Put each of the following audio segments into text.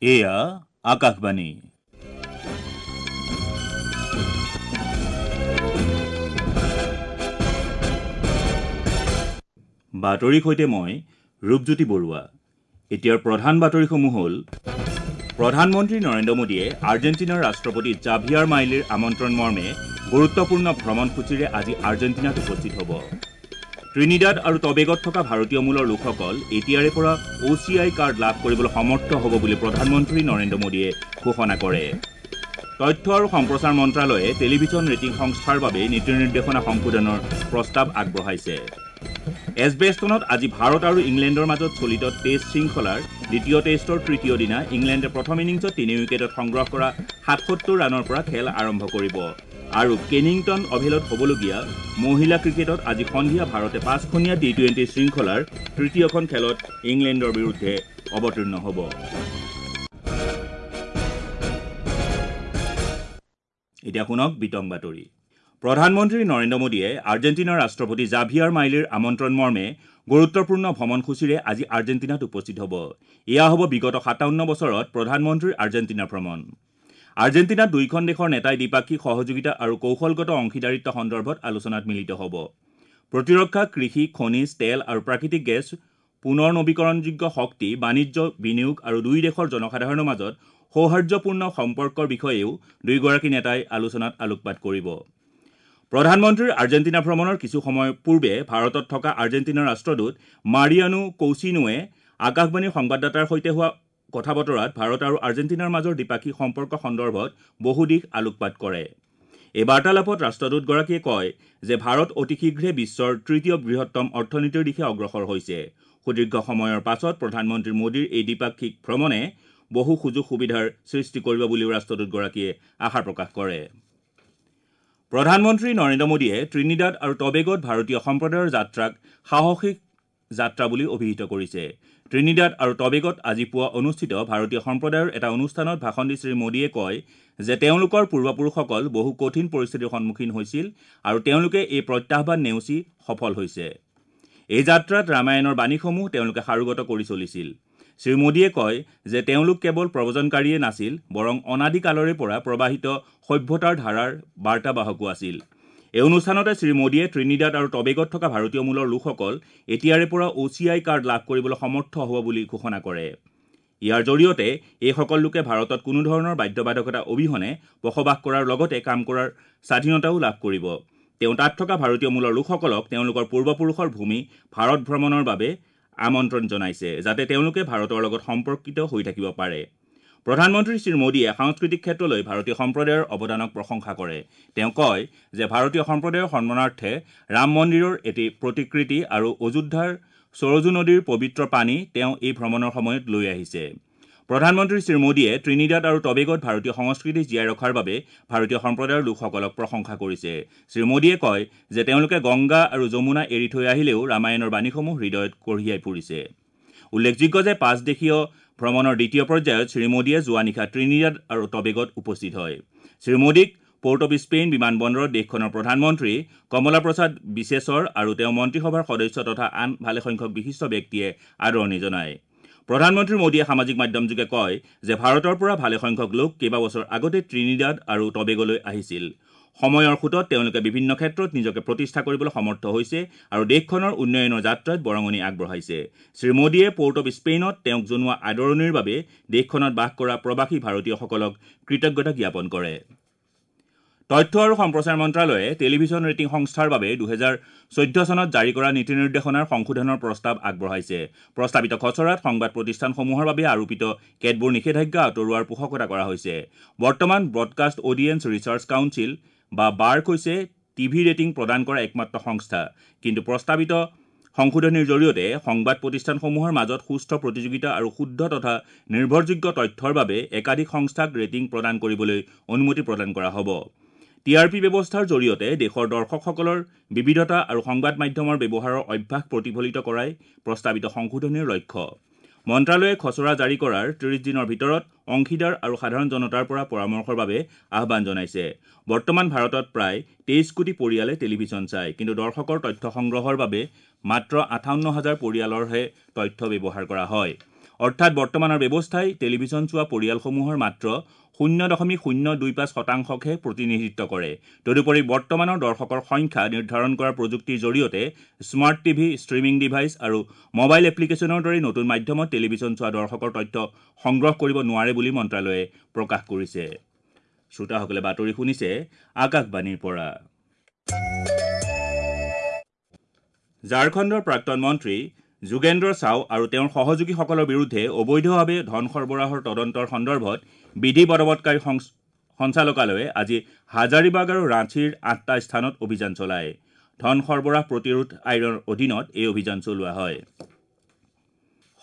এয়া আকাশবাণী। বাতৰিৰ সৈতে মই ৰূপজ্যোতি বৰুৱা। এতিয়াৰ প্ৰধান বাতৰিসমূহ হ'ল: প্ৰধানমন্ত্ৰী নৰেন্দ্ৰ মোদীয়ে আৰ্জেণ্টিনাৰ ৰাষ্ট্ৰপতি জাভিয়াৰ মাইলিৰ আমন্ত্ৰণ মৰ্মে গুৰুত্বপূৰ্ণ ভ্ৰমণসূচীৰে আজি আৰ্জেণ্টিনাত উপস্থিত হ'ব। ত্ৰিনিদাদ আৰু টবেগত থকা ভাৰতীয় মূলৰ লোকসকল এতিয়াৰে পৰা অ' চি I card লাভ কৰিবলৈ সমৰ্থ হ'ব বুলি প্ৰধানমন্ত্ৰী নৰেন্দ্ৰ মোদীয়ে ঘোষণা কৰে। তথ্য আৰু সম্প্ৰচাৰ মন্ত্ৰালয়ে টেলিভিছন ৰেটিং সংস্থাৰ বাবে নীতি নিৰ্দেশনা সংশোধনৰ প্ৰস্তাৱ আগবঢ়াইছে। এজবেষ্টনত আজি ভাৰত আৰু ইংলেণ্ডৰ মাজত চলিত টেষ্ট শৃংখলাৰ দ্বিতীয় টেষ্টৰ তৃতীয় দিনা ইংলেণ্ডে প্ৰথম ইনিংছত 3 উইকেটত সংগ্ৰহ কৰা 77 ৰানৰ পৰা খেল আৰম্ভ কৰিব। আৰু কেনিংটন অভেলত হ'বলগীয়া মহিলা ক্ৰিকেটত আজি সন্ধিয়া ভাৰতে 5খনীয়া টি-টুৱেণ্টি শৃংখলাৰ তৃতীয়খন খেলত ইংলেণ্ডৰ বিৰুদ্ধে অৱতীৰ্ণ হ'ব। এতিয়া শুনক বিতং বাতৰি। প্ৰধানমন্ত্ৰী নৰেন্দ্ৰ মোদীয়ে আৰ্জেণ্টিনাৰ ৰাষ্ট্ৰপতি জাভিয়াৰ মাইলিৰ আমন্ত্ৰণ মৰ্মে গুৰুত্বপূৰ্ণ ভ্ৰমণসূচীৰে আজি আৰ্জেণ্টিনাত উপস্থিত হ'ব। এয়া হ'ব বিগত 57 বছৰত প্ৰধানমন্ত্ৰীৰ আৰ্জেণ্টিনা ভ্ৰমণ। আৰ্জেণ্টিনাত দুয়োখন দেশৰ নেতাই দ্বিপাক্ষিক সহযোগিতা আৰু কৌশলগত অংশীদাৰিত্ব সন্দৰ্ভত আলোচনাত মিলিত হ'ব। প্ৰতিৰক্ষা, কৃষি, খনিজ, তেল আৰু প্ৰাকৃতিক গেছ, পুনৰ নৱীকৰণযোগ্য শক্তি, বাণিজ্য, বিনিয়োগ আৰু দুয়ো দেশৰ জনসাধাৰণৰ মাজত সৌহাৰ্দ্যপূৰ্ণ সম্পৰ্কৰ বিষয়েও দুয়োগৰাকী নেতাই আলোচনাত আলোকপাত কৰিব। প্ৰধানমন্ত্ৰীৰ আৰ্জেণ্টিনা ভ্ৰমণৰ কিছু সময় পূৰ্বে ভাৰতত থকা আৰ্জেণ্টিনাৰ ৰাষ্ট্ৰদূত মাৰিয়ানো কৌচিনোৱে আকাশবাণীৰ সংবাদদাতাৰ সৈতে হোৱা কথা বতৰাত ভাৰত আৰু আৰ্জেণ্টিনাৰ মাজৰ দ্বিপাক্ষিক সম্পৰ্ক সন্দৰ্ভত বহু দিশ আলোকপাত কৰে। এই বাৰ্তালাপত ৰাষ্ট্ৰদূতগৰাকীয়ে কয় যে ভাৰত অতি শীঘ্ৰে বিশ্বৰ তৃতীয় বৃহত্তম অৰ্থনীতিৰ দিশে অগ্ৰসৰ হৈছে। সুদীৰ্ঘ সময়ৰ পাছত প্ৰধানমন্ত্ৰী মোদীৰ এই দ্বিপাক্ষিক ভ্ৰমণে বহু সুযোগ সুবিধাৰ সৃষ্টি কৰিব বুলিও ৰাষ্ট্ৰদূতগৰাকীয়ে আশা প্ৰকাশ কৰে। প্ৰধানমন্ত্ৰী নৰেন্দ্ৰ মোদীয়ে ত্ৰিনিদাদ আৰু টবেগত ভাৰতীয় সম্প্ৰদায়ৰ যাত্ৰাক সাহসিক যাত্ৰা বুলি অভিহিত কৰিছে। ত্ৰিনিদাদ আৰু টবেগত আজি পুৱা অনুষ্ঠিত ভাৰতীয় সম্প্ৰদায়ৰ এটা অনুষ্ঠানত ভাষণ দি শ্ৰী মোদীয়ে কয় যে তেওঁলোকৰ পূৰ্বপুৰুষসকল বহু কঠিন পৰিস্থিতিৰ সন্মুখীন হৈছিল আৰু তেওঁলোকে এই প্ৰত্যাহ্বান নেওচি সফল হৈছে। এই যাত্ৰাত ৰামায়ণৰ বাণীসমূহ তেওঁলোকে সাৰোগত কৰি চলিছিল। শ্ৰী মোদীয়ে কয় যে তেওঁলোক কেৱল প্ৰব্ৰজনকাৰীয়ে নাছিল, বৰং অনাদি কালৰে পৰা প্ৰবাহিত সভ্যতাৰ ধাৰাৰ বাৰ্তাবাহকো আছিল। এই অনুষ্ঠানতে শ্ৰী মোদীয়ে ত্ৰিনিদাদ আৰু টবেগত থকা ভাৰতীয় মূলৰ লোকসকল এতিয়াৰে পৰা অ' চি I card লাভ কৰিবলৈ সমৰ্থ হ'ব বুলি ঘোষণা কৰে। ইয়াৰ জৰিয়তে এইসকল লোকে ভাৰতত কোনোধৰণৰ বাধ্যবাধকতা অবিহনে বসবাস কৰাৰ লগতে কাম কৰাৰ স্বাধীনতাও লাভ কৰিব। তেওঁ তাত থকা ভাৰতীয় মূলৰ লোকসকলক তেওঁলোকৰ পূৰ্বপুৰুষৰ ভূমি ভাৰত ভ্ৰমণৰ বাবে আমন্ত্ৰণ জনাইছে, যাতে তেওঁলোকে ভাৰতৰ লগত সম্পৰ্কিত হৈ থাকিব পাৰে। প্ৰধানমন্ত্ৰী শ্ৰী মোদীয়ে সাংস্কৃতিক ক্ষেত্ৰলৈ ভাৰতীয় সম্প্ৰদায়ৰ অৱদানক প্ৰশংসা কৰে। তেওঁ কয় যে ভাৰতীয় সম্প্ৰদায়ৰ সন্মানাৰ্থে ৰাম মন্দিৰৰ এটি প্ৰতিকৃতি আৰু অযোধ্যাৰ সৰজু নদীৰ পবিত্ৰ পানী তেওঁ এই ভ্ৰমণৰ সময়ত লৈ আহিছে। প্ৰধানমন্ত্ৰী শ্ৰী মোদীয়ে ত্ৰিনিদাদ আৰু টবেগত ভাৰতীয় সংস্কৃতি জীয়াই ৰখাৰ বাবে ভাৰতীয় সম্প্ৰদায়ৰ লোকসকলক প্ৰশংসা কৰিছে। শ্ৰী মোদীয়ে কয় যে তেওঁলোকে গংগা আৰু যমুনা এৰি থৈ আহিলেও ৰামায়ণৰ বাণীসমূহ হৃদয়ত কঢ়িয়াই ফুৰিছে। উল্লেখযোগ্য যে 5 দেশীয় ভ্ৰমণৰ দ্বিতীয় পৰ্যায়ত শ্ৰী মোদীয়ে যোৱা নিশা ত্ৰিনিদাদ আৰু টবেগত উপস্থিত হয়। শ্ৰী মোদীক পৰ্ট অৱ স্পেইন বিমানবন্দৰত দেশখনৰ প্ৰধানমন্ত্ৰী কমলা প্ৰসাদ বিছেছৰ আৰু তেওঁৰ মন্ত্ৰীসভাৰ সদস্য তথা আন ভালেসংখ্যক বিশিষ্ট ব্যক্তিয়ে আদৰণি জনায়। প্ৰধানমন্ত্ৰী মোদীয়ে সামাজিক মাধ্যমযোগে কয় যে ভাৰতৰ পৰা ভালেসংখ্যক লোক কেইবাবছৰ আগতে ত্ৰিনিদাদ আৰু টবেগলৈ আহিছিল। সময়ৰ সোঁতত তেওঁলোকে বিভিন্ন ক্ষেত্ৰত নিজকে প্ৰতিষ্ঠা কৰিবলৈ সমৰ্থ হৈছে আৰু দেশখনৰ উন্নয়নৰ যাত্ৰাত বৰঙণি আগবঢ়াইছে। শ্ৰী মোদীয়ে পৰ্ট অৱ স্পেইনত তেওঁক জনোৱা আদৰণিৰ বাবে দেশখনত বাস কৰা প্ৰৱাসী ভাৰতীয়সকলক কৃতজ্ঞতা জ্ঞাপন কৰে। তথ্য আৰু সম্প্ৰচাৰ মন্ত্ৰালয়ে টেলিভিছন ৰেটিং সংস্থাৰ বাবে 2014 চনত জাৰি কৰা নীতি নিৰ্দেশনাৰ সংশোধনৰ প্ৰস্তাৱ আগবঢ়াইছে। প্ৰস্তাৱিত খচৰাত সংবাদ প্ৰতিষ্ঠানসমূহৰ বাবে আৰোপিত কেতবোৰ নিষেধাজ্ঞা আঁতৰোৱাৰ পোষকতা কৰা হৈছে। বৰ্তমান ব্ৰডকাষ্ট অডিয়েন্স ৰিচাৰ্চ কাউন্সিল বা বাৰ্ক হৈছে টিভি ৰেটিং প্ৰদান কৰা একমাত্ৰ সংস্থা। কিন্তু প্ৰস্তাৱিত সংশোধনীৰ জৰিয়তে সংবাদ প্ৰতিষ্ঠানসমূহৰ মাজত সুস্থ প্ৰতিযোগিতা আৰু শুদ্ধ তথা নিৰ্ভৰযোগ্য তথ্যৰ বাবে একাধিক সংস্থাক ৰেটিং প্ৰদান কৰিবলৈ অনুমতি প্ৰদান কৰা হ'ব। টি আৰ পি ব্যৱস্থাৰ জৰিয়তে দেশৰ দৰ্শকসকলৰ বিবিধতা আৰু সংবাদ মাধ্যমৰ ব্যৱহাৰৰ অভ্যাস প্ৰতিফলিত কৰাই প্ৰস্তাৱিত সংশোধনীৰ লক্ষ্য। মন্ত্ৰালয়ে খচৰা জাৰি কৰাৰ 30 দিনৰ ভিতৰত অংশীদাৰ আৰু সাধাৰণ জনতাৰ পৰা পৰামৰ্শৰ বাবে আহ্বান জনাইছে। বৰ্তমান ভাৰতত প্ৰায় 23 কোটি পৰিয়ালে টেলিভিছন চায়। কিন্তু দৰ্শকৰ তথ্য সংগ্ৰহৰ বাবে মাত্ৰ 58 হাজাৰ পৰিয়ালৰহে তথ্য ব্যৱহাৰ কৰা হয়। অৰ্থাৎ বৰ্তমানৰ ব্যৱস্থাই টেলিভিছন চোৱা পৰিয়ালসমূহৰ মাত্ৰ 0.025 শতাংশকহে প্ৰতিনিধিত্ব কৰে। তদুপৰি বৰ্তমানৰ দৰ্শকৰ সংখ্যা নিৰ্ধাৰণ কৰা প্ৰযুক্তিৰ জৰিয়তে স্মাৰ্ট টিভি, ষ্ট্ৰীমিং ডিভাইচ আৰু মোবাইল এপ্লিকেশ্যনৰ দৰে নতুন মাধ্যমত টেলিভিছন চোৱা দৰ্শকৰ তথ্য সংগ্ৰহ কৰিব নোৱাৰে বুলি মন্ত্ৰালয়ে প্ৰকাশ কৰিছে। শ্ৰোতাসকলে বাতৰি শুনিছে আকাশবাণীৰ পৰা। ঝাৰখণ্ডৰ প্ৰাক্তন মন্ত্ৰী যোগেন্দ্ৰ চাও আৰু তেওঁৰ সহযোগীসকলৰ বিৰুদ্ধে অবৈধভাৱে ধন সৰবৰাহৰ তদন্তৰ সন্দৰ্ভত বিধি বলবৎকাৰী সঞ্চালকালয়ে আজি হাজাৰিবাগ আৰু ৰাঁচীৰ ৮টা স্থানত অভিযান চলায়। ধন সৰবৰাহ প্ৰতিৰোধ আইনৰ অধীনত এই অভিযান চলোৱা হয়।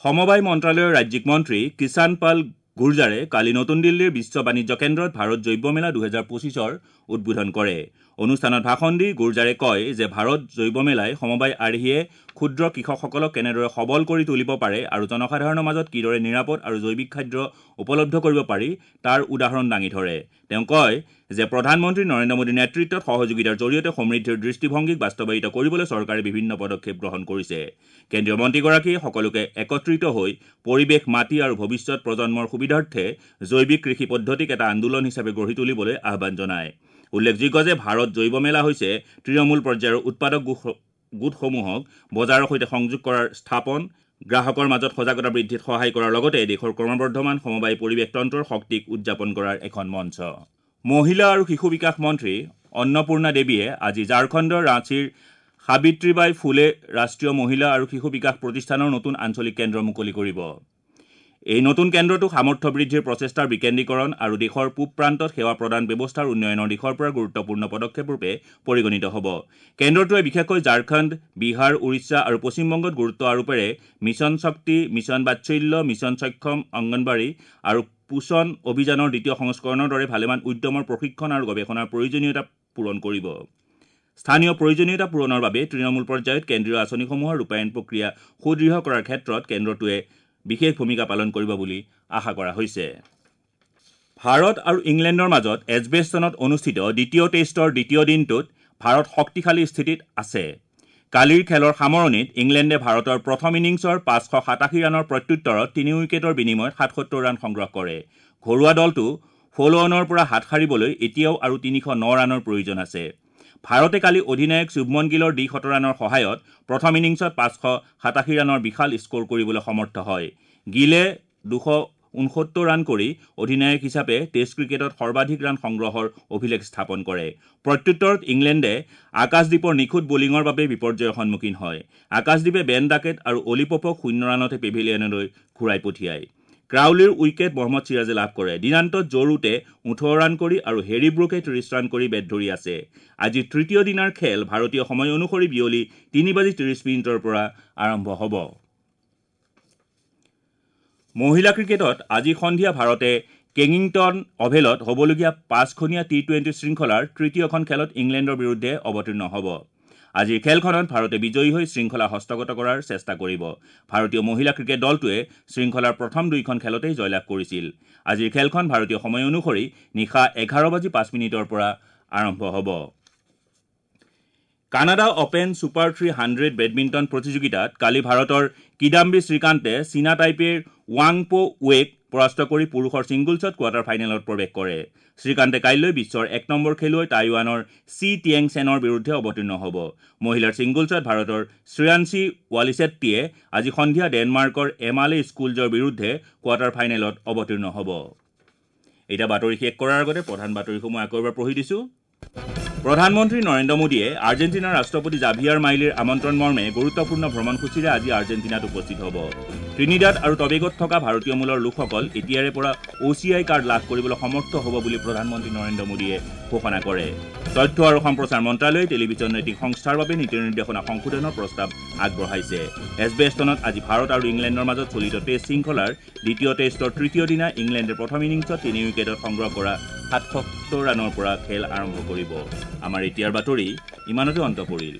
সমবায় মন্ত্ৰালয়ৰ ৰাজ্যিক মন্ত্ৰী কিষাণ পাল গুৰ্জাৰে কালি নতুন দিল্লীৰ বিশ্ব বাণিজ্য কেন্দ্ৰত ভাৰত জৈৱ মেলা 2025ৰ উদ্বোধন কৰে। অনুষ্ঠানত ভাষণ দি গুৰ্জাৰে কয় যে ভাৰত জৈৱ মেলাই সমবায় আৰ্হিয়ে ক্ষুদ্ৰ কৃষকসকলক কেনেদৰে সবল কৰি তুলিব পাৰে আৰু জনসাধাৰণৰ মাজত কিদৰে নিৰাপদ আৰু জৈৱিক খাদ্য উপলব্ধ কৰিব পাৰি তাৰ উদাহৰণ দাঙি ধৰে। তেওঁ কয় যে প্ৰধানমন্ত্ৰী নৰেন্দ্ৰ মোদীৰ নেতৃত্বত সহযোগিতাৰ জৰিয়তে সমৃদ্ধিৰ দৃষ্টিভংগীক বাস্তৱায়িত কৰিবলৈ চৰকাৰে বিভিন্ন পদক্ষেপ গ্ৰহণ কৰিছে। কেন্দ্ৰীয় মন্ত্ৰীগৰাকীয়ে সকলোকে একত্ৰিত হৈ পৰিৱেশ, মাটি আৰু ভৱিষ্যত প্ৰজন্মৰ সুবিধাৰ্থে জৈৱিক কৃষি পদ্ধতিক এটা আন্দোলন হিচাপে গঢ়ি তুলিবলৈ আহ্বান জনায়। উল্লেখযোগ্য যে ভাৰত জৈৱ মেলা হৈছে তৃণমূল পৰ্যায়ৰ উৎপাদক গোটসমূহক বজাৰৰ সৈতে সংযোগ কৰাৰ স্থাপন, গ্ৰাহকৰ মাজত সজাগতা বৃদ্ধিত সহায় কৰাৰ লগতে দেশৰ ক্ৰমবৰ্ধমান সমবায় পৰিৱেশ তন্ত্ৰৰ শক্তিক উদযাপন কৰাৰ এখন মঞ্চ। মহিলা আৰু শিশু বিকাশ মন্ত্ৰী অন্নপূৰ্ণা দেৱীয়ে আজি ঝাৰখণ্ডৰ ৰাঁচীৰ সাবিত্ৰীবাই ফুলে ৰাষ্ট্ৰীয় মহিলা আৰু শিশু বিকাশ প্ৰতিষ্ঠানৰ নতুন আঞ্চলিক কেন্দ্ৰ মুকলি কৰিব। এই নতুন কেন্দ্ৰটো সামৰ্থ্য বৃদ্ধিৰ প্ৰচেষ্টাৰ বিকেন্দ্ৰীকৰণ আৰু দেশৰ পূব প্ৰান্তত সেৱা প্ৰদান ব্যৱস্থাৰ উন্নয়নৰ দিশৰ পৰা গুৰুত্বপূৰ্ণ পদক্ষেপৰূপে পৰিগণিত হ'ব। কেন্দ্ৰটোৱে বিশেষকৈ ঝাৰখণ্ড, বিহাৰ, উৰিষ্যা আৰু পশ্চিমবংগত গুৰুত্ব আৰোপেৰে মিছন শক্তি, মিছন বাৎসল্য, মিছন সক্ষম অংগনবাড়ী আৰু পোষণ অভিযানৰ দ্বিতীয় সংস্কৰণৰ দৰে ভালেমান উদ্যমৰ প্ৰশিক্ষণ আৰু গৱেষণাৰ প্ৰয়োজনীয়তা পূৰণ কৰিব। স্থানীয় প্ৰয়োজনীয়তা পূৰণৰ বাবে তৃণমূল পৰ্যায়ত কেন্দ্ৰীয় আঁচনিসমূহৰ ৰূপায়ণ প্ৰক্ৰিয়া সুদৃঢ় কৰাৰ ক্ষেত্ৰত কেন্দ্ৰটোৱে বিশেষ ভূমিকা পালন কৰিব বুলি আশা কৰা হৈছে। ভাৰত আৰু ইংলেণ্ডৰ মাজত এজবেষ্টনত অনুষ্ঠিত দ্বিতীয় টেষ্টৰ দ্বিতীয় দিনটোত ভাৰত শক্তিশালী স্থিতিত আছে। কালিৰ খেলৰ সামৰণিত ইংলেণ্ডে ভাৰতৰ প্ৰথম ইনিংছৰ 587 ৰানৰ প্ৰত্যুত্তৰত 3 উইকেটৰ বিনিময়ত 77 ৰান সংগ্ৰহ কৰে। ঘৰুৱা দলটো ফ'ল'অনৰ পৰা হাত সাৰিবলৈ এতিয়াও আৰু 309 ৰানৰ প্ৰয়োজন আছে। ভাৰতে কালি অধিনায়ক শুভমন গিলৰ 200 ৰানৰ সহায়ত প্ৰথম ইনিংছত 587 ৰানৰ বিশাল স্ক'ৰ কৰিবলৈ সমৰ্থ হয়। গিলে 269 ৰান কৰি অধিনায়ক হিচাপে টেষ্ট ক্ৰিকেটত সৰ্বাধিক ৰান সংগ্ৰহৰ অভিলেখ স্থাপন কৰে। প্ৰত্যুত্তৰত ইংলেণ্ডে আকাশদ্বীপৰ নিখুঁত বলিঙৰ বাবে বিপৰ্যয়ৰ সন্মুখীন হয়। আকাশদ্বীপে বেন ডাকেট আৰু অলি পপক 0 ৰানতে পেভিলিয়নলৈ ঘূৰাই পঠিয়ায়। ক্ৰাউলিৰ উইকেট মহম্মদ চিৰাজে লাভ কৰে। দিনান্তত জো ৰুটে 18 ৰান কৰি আৰু হেৰী ব্ৰুকে 30 ৰান কৰি বেট ধৰি আছে। আজি তৃতীয় দিনাৰ খেল ভাৰতীয় সময় অনুসৰি বিয়লি 3:30 পৰা আৰম্ভ হ'ব। মহিলা ক্ৰিকেটত আজি সন্ধিয়া ভাৰতে কেঙিংটন অভেলত হ'বলগীয়া 5খনীয়া টি-20 শৃংখলাৰ তৃতীয়খন খেলত ইংলেণ্ডৰ বিৰুদ্ধে অৱতীৰ্ণ হ'ব। আজিৰ খেলখনত ভাৰতে বিজয়ী হৈ শৃংখলা হস্তগত কৰাৰ চেষ্টা কৰিব। ভাৰতীয় মহিলা ক্ৰিকেট দলটোৱে শৃংখলাৰ প্ৰথম 2খন খেলতেই জয়লাভ কৰিছিল। আজিৰ খেলখন ভাৰতীয় সময় অনুসৰি নিশা 11:05 পৰা আৰম্ভ হ'ব। কানাডা অপেন ছুপাৰ 300 বেডমিণ্টন প্ৰতিযোগিতাত কালি ভাৰতৰ কিদাম্বি শ্ৰীকান্তে চীনা টাইপেৰ ৱাংপো ৱেক পৰাস্ত কৰি পুৰুষৰ ছিংগলছত কোৱাৰ্টাৰ ফাইনেলত প্ৰৱেশ কৰে। শ্ৰীকান্তে কাইলৈ বিশ্বৰ 1 নম্বৰ খেলুৱৈ টাইৱানৰ চি টিয়েং চেনৰ বিৰুদ্ধে অৱতীৰ্ণ হ'ব। মহিলাৰ ছিংগলছত ভাৰতৰ শ্ৰেয়াংশী ৱালিছেট্টিয়ে আজি সন্ধিয়া ডেনমাৰ্কৰ এমালে স্কুলজৰ বিৰুদ্ধে কোৱাৰ্টাৰ ফাইনেলত অৱতীৰ্ণ হ'ব। এতিয়া বাতৰি শেষ কৰাৰ আগতে প্ৰধান বাতৰিসমূহ আকৌ এবাৰ পঢ়ি দিছোঁ। প্ৰধানমন্ত্ৰী নৰেন্দ্ৰ মোদীয়ে আৰ্জেণ্টিনাৰ ৰাষ্ট্ৰপতি জাভিয়াৰ মাইলিৰ আমন্ত্ৰণ মৰ্মে গুৰুত্বপূৰ্ণ ভ্ৰমণসূচীৰে আজি আৰ্জেণ্টিনাত উপস্থিত হ'ব। ত্ৰিনিদাদ আৰু টবেগত থকা ভাৰতীয় মূলৰ লোকসকল এতিয়াৰে পৰা OCI card লাভ কৰিবলৈ সমৰ্থ হ'ব বুলি প্ৰধানমন্ত্ৰী নৰেন্দ্ৰ মোদীয়ে ঘোষণা কৰে। তথ্য আৰু সম্প্ৰচাৰ মন্ত্ৰালয়ে টেলিভিছন ৰেটিং সংস্থাৰ বাবে নীতি নিৰ্দেশনা সংশোধনৰ প্ৰস্তাৱ আগবঢ়াইছে। এজবেষ্টনত আজি ভাৰত আৰু ইংলেণ্ডৰ মাজত চলিত টেষ্ট শৃংখলাৰ দ্বিতীয় টেষ্টৰ তৃতীয় দিনা ইংলেণ্ডে প্ৰথম ইনিংছত 3 উইকেটত সংগ্ৰহ কৰা 77 ৰানৰ পৰা খেল আৰম্ভ কৰিব। আমাৰ এতিয়াৰ বাতৰি ইমানতে অন্ত পৰিল।